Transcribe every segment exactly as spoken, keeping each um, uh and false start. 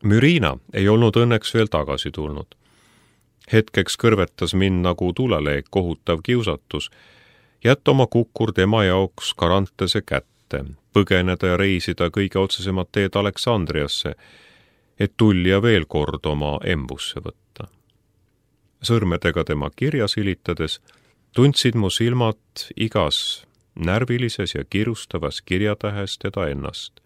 Mürina ei olnud õnneks veel tagasi tulnud. Hetkeks kõrvetas mind nagu tuleleek kohutav kiusatus, jätta oma kukkur tema jaoks Karantese kätte, põgeneda ja reisida kõige otsesemad teed Aleksandriasse, et Tullija veel kord oma embusse võtta. Sõrmedega tema kirja silitades tundsid mu silmad igas närvilises ja kirustavas kirjatähes teda ennast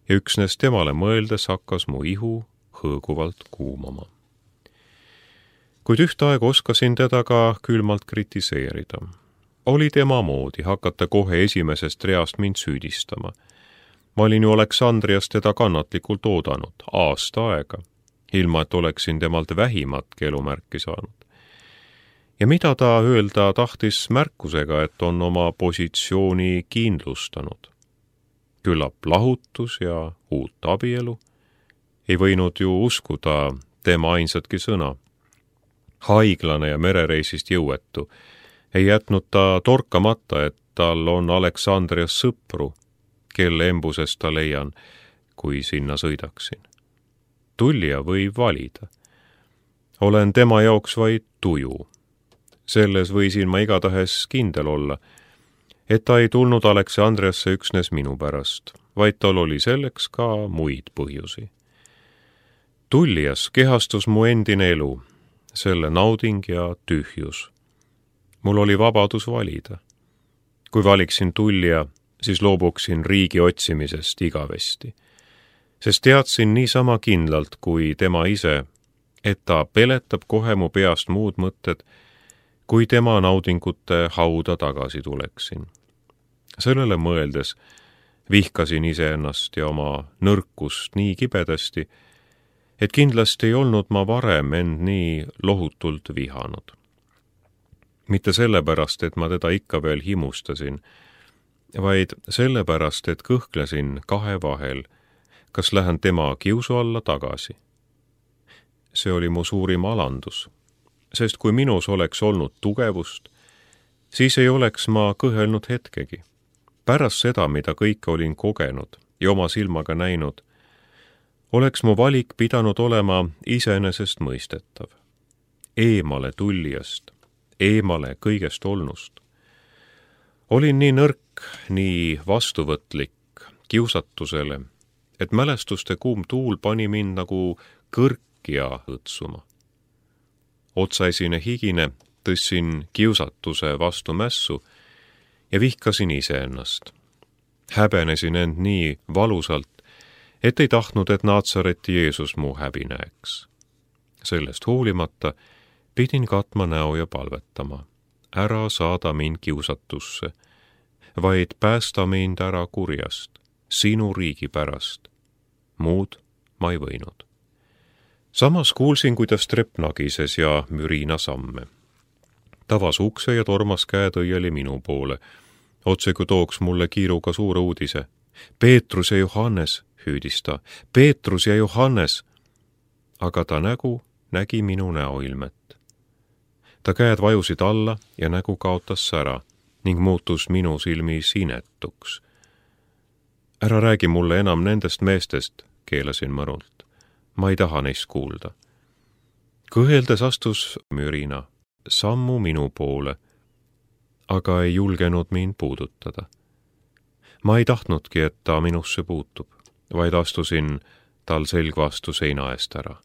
ja üksnes temale mõeldes hakkas mu ihu hõõguvalt kuumama. Kuid ühtaeg oskasin teda ka külmalt kritiseerida. Oli tema moodi hakata kohe esimesest reast mind süüdistama. Ma olin ju Aleksandrias teda kannatlikult oodanud aasta aega, ilma et oleksin temalt vähimatki elumärki saanud. Ja mida ta öelda tahtis märkusega, et on oma positsiooni kindlustanud? Küllap lahutus ja uut abielu. Ei võinud ju uskuda tema ainsatki sõna. Haiglane ja merereisist jõuetu. Ei jätnud ta torkamata, et tal on Aleksandrias sõpru, kelle embusest ta leian, kui sinna sõidaksin. Tullija võib valida. Olen tema jaoks vaid tuju. Selles võisin ma igatahes kindel olla, et ta ei tulnud Aleksandriasse üksnes minu pärast, vaid tal oli selleks ka muid põhjusi. Tullijas kehastus mu endine elu, selle nauding ja tühjus. Mul oli vabadus valida. Kui valiksin Tullija, siis loobuksin riigi otsimisest igavesti, sest teadsin niisama kindlalt kui tema ise, et ta peletab kohe mu peast muud mõtted, kui tema naudingute hauda tagasi tuleksin. Sellele mõeldes vihkasin iseennast ja oma nõrkust nii kibedasti, et kindlasti ei olnud ma varem end nii lohutult vihanud. Mitte sellepärast, et ma teda ikka veel himustasin, vaid sellepärast, et kõhklesin kahe vahel, kas lähen tema kiusu alla tagasi. See oli mu suurim alandus, sest kui minus oleks olnud tugevust, siis ei oleks ma kõhelnud hetkegi. Pärast seda, mida kõike olin kogenud ja oma silmaga näinud, oleks mu valik pidanud olema iseenesest mõistetav. Eemale Tullijast, eemale kõigest olnust. Olin nii nõrk, nii vastuvõtlik kiusatusele, et mälestuste kuum tuul pani mind nagu kõrkja õtsuma. Otsaisine higine tõssin kiusatuse vastu mässu ja vihkasin iseennast. Häbenesin end nii valusalt, et ei tahtnud, et Naatsareti Jeesus mu häbi näeks. Sellest hoolimata pidin katma näo ja palvetama. Ära saada mind kiusatusse, vaid päästa mind ära kurjast, sinu riigi pärast. Muud ma ei võinud. Samas kuulsin, kuidas trepp nagises ja Mürina samme. Tavas ukse ja tormas käetõieli minu poole. Otse kui tooks mulle kiiruga suure uudise. Peetrus ja Johannes, hüüdis ta. Peetrus ja Johannes. Aga ta nägu nägi minu näoilmet. Ta käed vajusid alla ja nägu kaotas sära ning muutus minu silmis inetuks. Ära räägi mulle enam nendest meestest, keelasin mõrult. Ma ei taha neist kuulda. Kõheldes astus Mürina sammu minu poole, aga ei julgenud mind puudutada. Ma ei tahtnudki, et ta minusse puutub, vaid astusin tal selg vastu seina eest ära.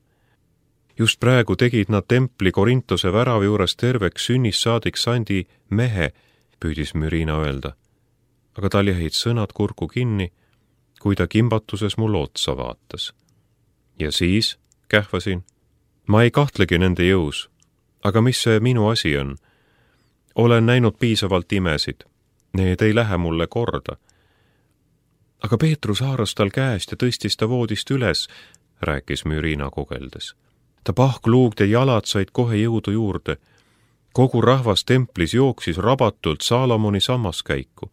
Just praegu tegid nad templi Korintose väravi juures terveks sünnist saadik sandi mehe, püüdis Mürina öelda. Aga tal jäid sõnad kurku kinni, kui ta kimbatuses mul otsa vaatas. Ja siis, kähvasin, ma ei kahtlegi nende jõus, aga mis see minu asi on? Olen näinud piisavalt imesid, need ei lähe mulle korda. Aga Peetrus haaras tal käest ja tõstis ta voodist üles, rääkis Mürina kogeldes. Ta pahkluugd ja jalad said kohe jõudu juurde. Kogu rahvas templis jooksis rabatult Saalomoni sammaskäiku.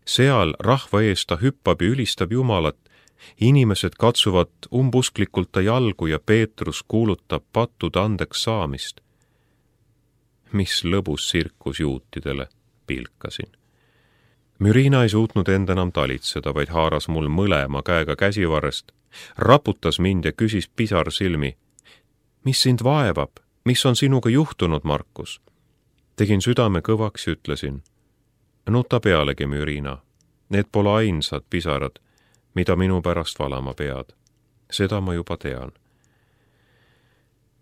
Seal rahva ees ta hüppab ja ülistab Jumalat. Inimesed katsuvad umbusklikult ta jalgu ja Peetrus kuulutab pattude andeks saamist. Mis lõbus sirkus juutidele, pilkasin. Mürina ei suutnud end enam talitseda, vaid haaras mul mõlema käega käsivarrest raputas mind ja küsis pisar silmi. Mis sind vaevab? Mis on sinuga juhtunud, Markus? Tegin südame kõvaks ja ütlesin. Nuta pealegi, Mürina. Need pole ainsad pisarad, mida minu pärast valama pead. Seda ma juba tean.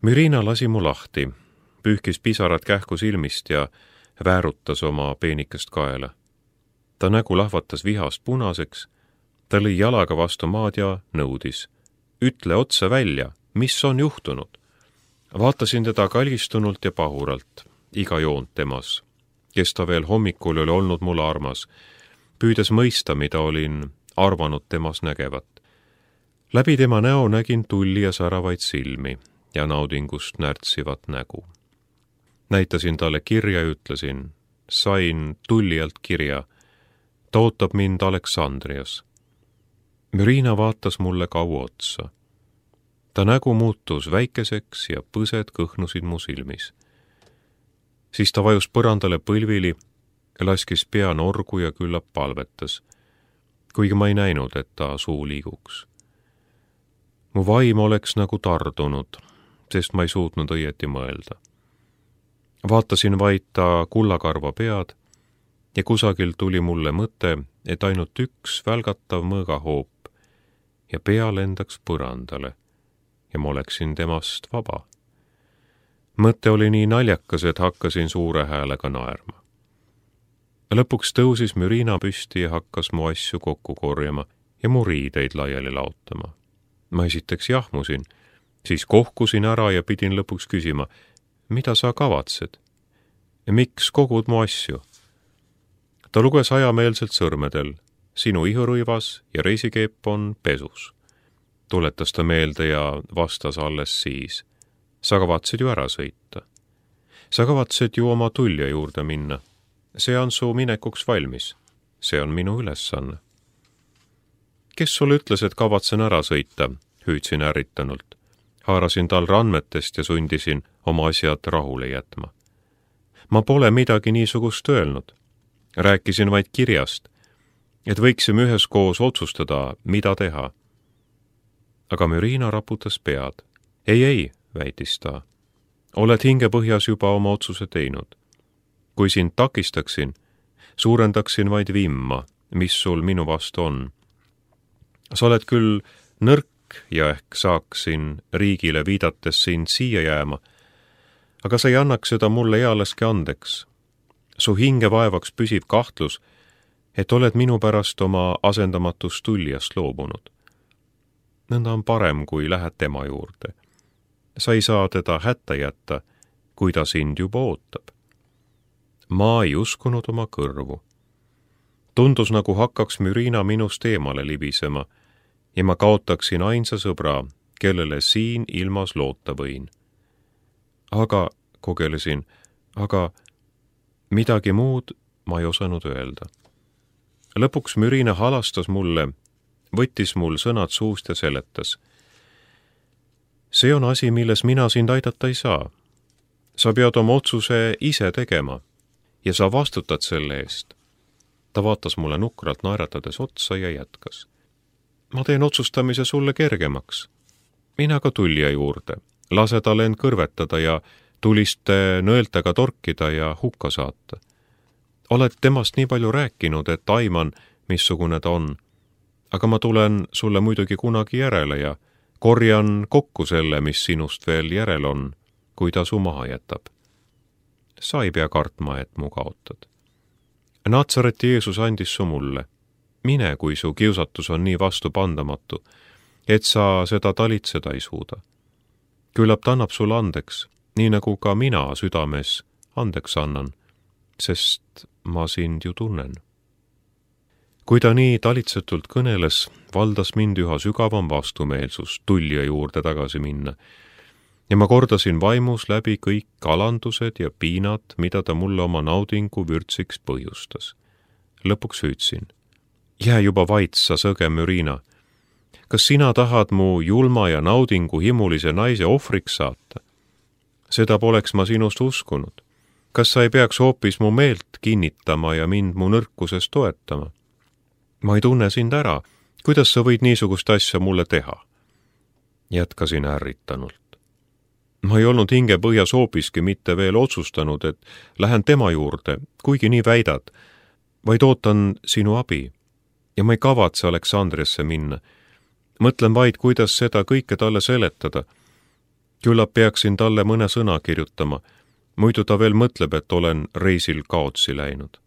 Mürina lasi mu lahti, pühkis pisarad kähku silmist ja väärutas oma peenikest kaela. Ta nägu lahvatas vihast punaseks, ta lõi jalaga vastu maad ja nõudis. Ütle otse välja, mis on juhtunud? Vaatasin teda kalgistunult ja pahuralt, iga joont temas, kes ta veel hommikul oli olnud mulle armas, püüdes mõista, mida olin arvanud temas nägevat. Läbi tema näo nägin tulli ja säravaid silmi ja naudingust närtsivat nägu. Näitasin talle kirja ja ütlesin, sain tullijalt kirja, ta ootab mind Aleksandrias. Mürina vaatas mulle kaua otsa. Ta nägu muutus väikeseks ja põsed kõhnusid mu silmis. Siis ta vajus põrandale põlvili, laskis pea norgu ja küllap palvetas, kuigi ma ei näinud, et ta suu liiguks. Mu vaim oleks nagu tardunud, sest ma ei suutnud õieti mõelda. Vaatasin vaid ta kullakarva pead ja kusagil tuli mulle mõte, et ainult üks välgatav mõõgahoop ja pea lendaks põrandale ja ma oleksin temast vaba. Mõte oli nii naljakas, et hakkasin suure häälega naerma. Lõpuks tõusis Mürina püsti ja hakkas mu asju kokku korjama ja mu riideid laiali laotama. Ma esiteks jahmusin, siis kohkusin ära ja pidin lõpuks küsima, mida sa kavatsed? Miks kogud mu asju? Ta luges ajameelselt sõrmedel, sinu ihurõivas ja reisikeep on pesus. Tuletas ta meelde ja vastas alles siis. Sa kavatsid ju ära sõita. Sa kavatsid ju oma tulja juurde minna. See on su minekuks valmis. See on minu ülesanne. Kes sulle ütles, et kavatsen ära sõita? Hüüdsin ärritanult. Haarasin tal randmetest ja sundisin oma asjad rahule jätma. Ma pole midagi niisugust öelnud. Rääkisin vaid kirjast, et võiksime üheskoos otsustada, mida teha. Aga Mürina raputas pead. Ei, ei, väitis ta. Oled hingepõhjas juba oma otsuse teinud. Kui sind takistaksin, suurendaksin vaid vimma, mis sul minu vastu on. Sa oled küll nõrk ja ehk saaksin riigile viidates sind siia jääma, aga sa ei annaks seda mulle ealeski andeks. Su hinge vaevaks püsiv kahtlus, et oled minu pärast oma asendamatust tuljast loobunud. Nõnda on parem, kui lähed tema juurde. Sa ei saa teda hätta jätta, kui ta sind juba ootab. Ma ei uskunud oma kõrvu. Tundus, nagu hakkaks Mürina minust eemale libisema ja ma kaotaksin ainsa sõbra, kellele siin ilmas loota võin. Aga, kogelesin, aga midagi muud ma ei osanud öelda. Lõpuks Mürina halastas mulle, võttis mul sõnad suust ja seletas. See on asi, milles mina sind aidata ei saa. Sa pead oma otsuse ise tegema ja sa vastutad selle eest. Ta vaatas mulle nukralt naeratades otsa ja jätkas. Ma teen otsustamise sulle kergemaks. Mina ka tulja juurde, lase tal end kõrvetada ja tuliste nõeltega torkida ja hukka saata. Oled temast nii palju rääkinud, et aiman, missugune ta on. Aga ma tulen sulle muidugi kunagi järele ja korjan kokku selle, mis sinust veel järel on, kui ta su maha jätab. Sa ei pea kartma, et mu kaotad. Natsareti Jeesus andis su mulle. Mine, kui su kiusatus on nii vastupandamatu, et sa seda talitseda ei suuda. Küllap ta annab sulle andeks, nii nagu ka mina südames andeks annan, sest ma sind ju tunnen. Kui ta nii talitsetult kõneles, valdas mind üha sügavam vastumeelsus tulja juurde tagasi minna ja ma kordasin vaimus läbi kõik alandused ja piinad, mida ta mulle oma naudingu vürtsiks põhjustas. Lõpuks hüüdsin. Jää juba vait, sa sõge Mürina. Kas sina tahad mu julma ja naudingu himulise naise ohvriks saata? Seda poleks ma sinust uskunud. Kas sa ei peaks hoopis mu meelt kinnitama ja mind mu nõrkuses toetama? Ma ei tunne sind ära, kuidas sa võid niisugust asja mulle teha? Jätkasin ärritanult. Ma ei olnud hingepõhjas hoopiski mitte veel otsustanud, et lähen tema juurde, kuigi nii väidad, vaid ootan sinu abi. Ja ma ei kavatse Aleksandriasse minna. Mõtlen vaid, kuidas seda kõike talle seletada. Küllap peaksin talle mõne sõna kirjutama, muidu ta veel mõtleb, et olen reisil kaotsi läinud.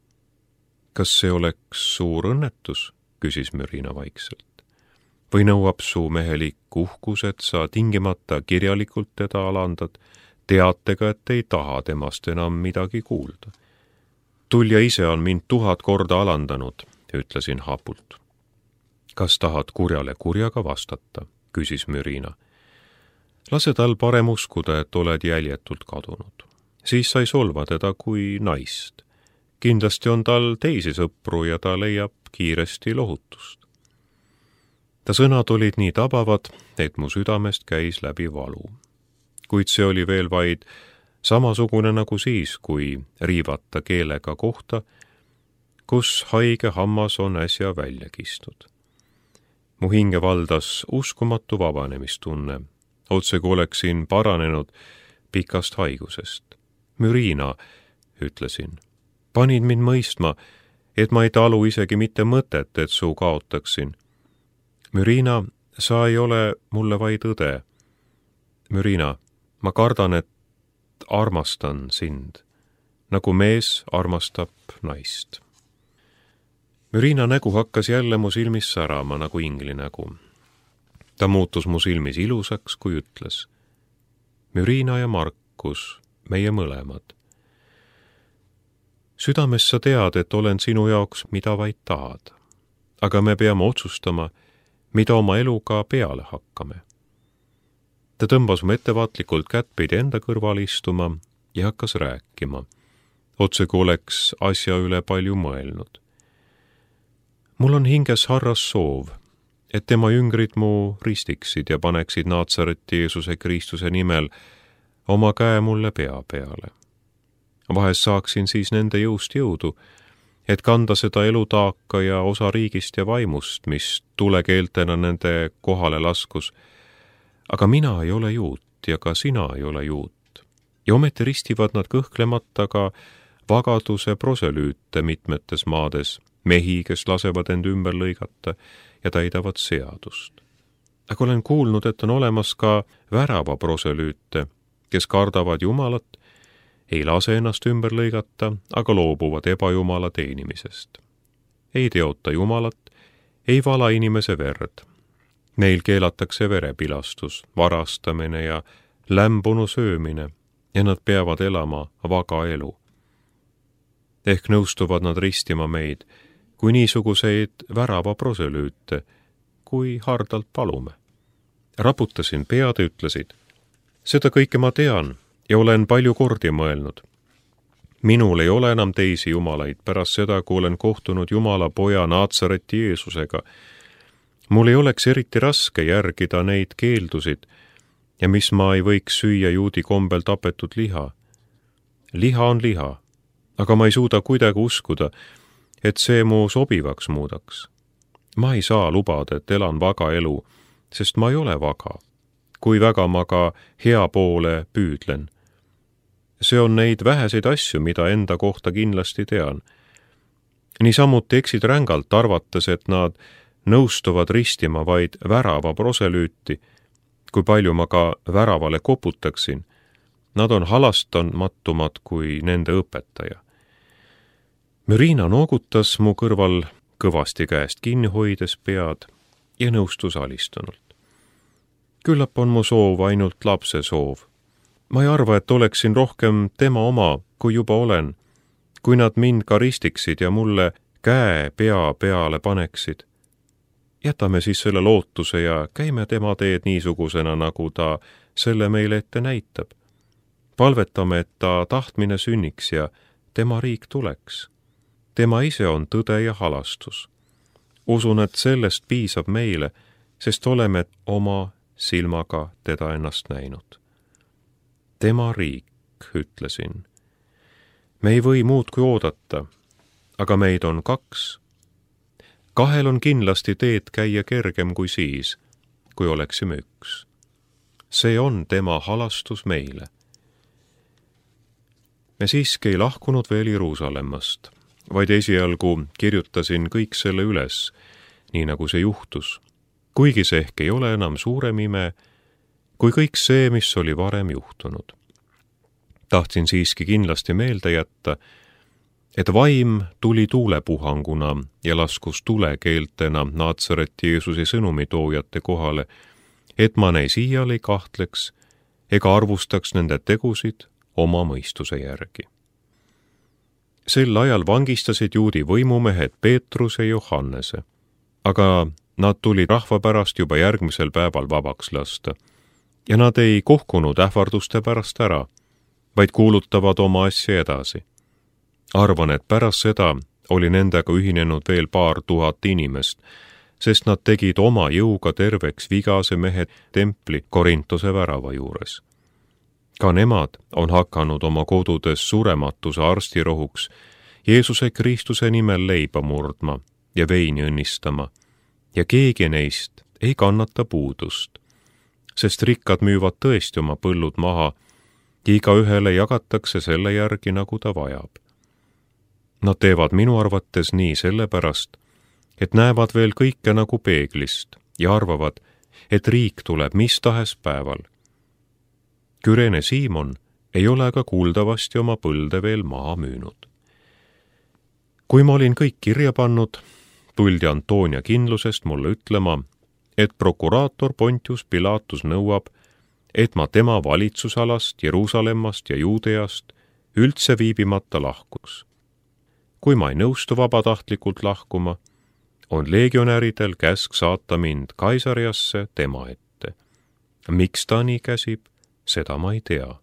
Kas see oleks suur õnnetus, küsis Mürina vaikselt. Või nõuab su mehelik uhkus, et sa tingimata kirjalikult teda alandad, teatega, et ei taha temast enam midagi kuulda. Tulja ise on mind tuhat korda alandanud, ütlesin hapult. Kas tahad kurjale kurjaga vastata, küsis Mürina. Lase tal parem uskuda, et oled jäljetult kadunud. Siis sai solva teda kui naist. Kindlasti on tal teisi sõpru ja ta leiab kiiresti lohutust. Ta sõnad olid nii tabavad, et mu südamest käis läbi valu. Kuid see oli veel vaid samasugune nagu siis, kui riivata keelega kohta, kus haige hammas on äsja välja kistud. Mu hinge valdas uskumatu vabanemistunne, otse kui oleksin paranenud pikast haigusest. Mürina, ütlesin, panid mind mõistma, et ma ei talu isegi mitte mõtet, et su kaotaksin. Mürina, sa ei ole mulle vaid õde. Mürina, ma kardan, et armastan sind, nagu mees armastab naist. Mürina nägu hakkas jälle mu silmis särama nagu ingli nägu. Ta muutus mu silmis ilusaks, kui ütles. Mürina ja Markus, meie mõlemad. Südames sa tead, et olen sinu jaoks, mida vaid tahad. Aga me peame otsustama, mida oma eluga peale hakkame. Ta tõmbas mu ettevaatlikult kättpidi enda kõrval istuma ja hakkas rääkima, otse kui oleks asja üle palju mõelnud. Mul on hinges harras soov, et tema jüngrid mu ristiksid ja paneksid Naatsareti Jeesuse Kristuse nimel oma käe mulle pea peale. Vahest saaksin siis nende jõust jõudu, et kanda seda elutaaka ja osa riigist ja vaimust, mis tulekeeltena nende kohale laskus. Aga mina ei ole juut ja ka sina ei ole juut. Ja ometi ristivad nad kõhklemata ka vagaduse proselüüte mitmetes maades, mehi, kes lasevad end ümber lõigata ja täidavad seadust. Aga olen kuulnud, et on olemas ka värava proselüüte, kes kardavad Jumalat, ei lase ennast ümber lõigata, aga loobuvad ebajumala teenimisest. Ei teota Jumalat, ei vala inimese verd. Neil keelatakse verepilastus, varastamine ja lämbunu söömine ja nad peavad elama vaga elu. Ehk nõustuvad nad ristima meid, kui niisuguseid värava proselüüte, kui hardalt palume. Raputasin pead ja ütlesid, seda kõike ma tean ja olen palju kordi mõelnud. Minul ei ole enam teisi jumalaid pärast seda, kui olen kohtunud Jumala poja Naatsareti Jeesusega. Mul ei oleks eriti raske järgida neid keeldusid ja mis ma ei võiks süüa juudi kombel tapetud liha. Liha on liha, aga ma ei suuda kuidagi uskuda, et see mu sobivaks muudaks. Ma ei saa lubada, et elan vaga elu, sest ma ei ole vaga. Kui väga ma ka hea poole püüdlen. See on neid väheseid asju, mida enda kohta kindlasti tean. Niisamuti eksid rängalt arvates, et nad nõustuvad ristima vaid värava proselüüti, kui palju ma ka väravale koputaksin. Nad on halastamattumad kui nende õpetaja. Mürina noogutas mu kõrval kõvasti käest kinni hoides pead ja nõustus alistunult. Küllap on mu soov ainult lapse soov. Ma ei arva, et oleksin rohkem tema oma, kui juba olen, kui nad mind ka ristiksid ja mulle käe pea peale paneksid. Jätame siis selle lootuse ja käime tema teed niisugusena, nagu ta selle meile ette näitab. Palvetame, et ta tahtmine sünniks ja tema riik tuleks. Tema ise on tõde ja halastus. Usun, et sellest piisab meile, sest oleme oma silmaga teda ennast näinud. Tema riik, ütlesin. Me ei või muud kui oodata, aga meid on kaks. kahel on kindlasti teed käia kergem kui siis, kui oleksime üks. See on tema halastus meile. Me siiski ei lahkunud veel Jeruusalemmast, vaid esialgu kirjutasin kõik selle üles, nii nagu see juhtus, kuigi see ehk ei ole enam suurem ime, kui kõik see, mis oli varem juhtunud. Tahtsin siiski kindlasti meelde jätta, et vaim tuli tuulepuhanguna ja laskus tulekeeltena Naatsareti Jeesuse sõnumitoojate kohale, et ma neis iial ei kahtleks ega arvustaks nende tegusid oma mõistuse järgi. Sel ajal vangistasid juudi võimumehed Peetruse ja Johannese, aga nad tulid rahva pärast juba järgmisel päeval vabaks lasta ja nad ei kohkunud ähvarduste pärast ära, vaid kuulutavad oma asja edasi. Arvan, et pärast seda oli nendega ühinenud veel paar tuhat inimest, sest nad tegid oma jõuga terveks vigase mehe templi Korintuse värava juures. Ka nemad on hakanud oma kodudes surematuse arstirohuks Jeesuse Kristuse nimel leiba murdma ja veini õnnistama, ja keegi neist ei kannata puudust, sest rikkad müüvad tõesti oma põllud maha ja igaühele jagatakse selle järgi, nagu ta vajab. Nad teevad minu arvates nii sellepärast, et näevad veel kõike nagu peeglist ja arvavad, et riik tuleb mis tahes päeval. Kürene Siimon ei ole aga kuuldavasti oma põlde veel maha müünud. Kui ma olin kõik kirja pannud, tuldi Antoonia kindlusest mulle ütlema, et prokuraator Pontius Pilatus nõuab, et ma tema valitsusalast, Jeruusalemmast ja Juudeast üldse viibimata lahkuks. Kui ma ei nõustu vabatahtlikult lahkuma, on legionäridel käsk saata mind Kaisariasse tema ette. Miks ta nii käsib, seda ma ei tea.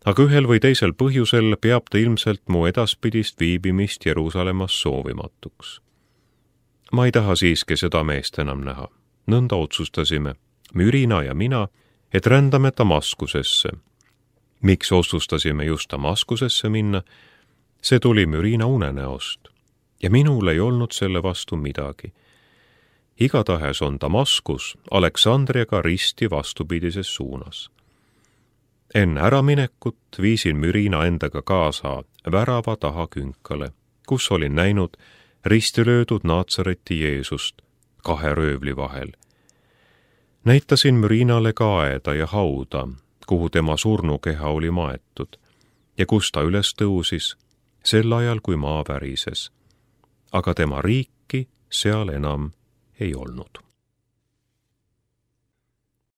Aga ühel või teisel põhjusel peab ta ilmselt mu edaspidist viibimist Jeruusalemmas soovimatuks. Ma ei taha siiski seda meest enam näha. Nõnda otsustasime, Mürina ja mina, et rändame Damaskusesse. Miks otsustasime just Damaskusesse minna? See tuli Mürina unenäost ja minul ei olnud selle vastu midagi. Igatahes on Damaskus Aleksandriaga risti vastupidises suunas. Enne äraminekut viisin Mürina endaga kaasa värava taha künkale, kus olin näinud ristilöödud Naatsareti Jeesust kahe röövli vahel. Näitasin Mürinale ka aeda ja hauda, kuhu tema surnukeha oli maetud ja kus ta üles tõusis sel ajal, kui maa värises. Aga tema riiki seal enam ei olnud.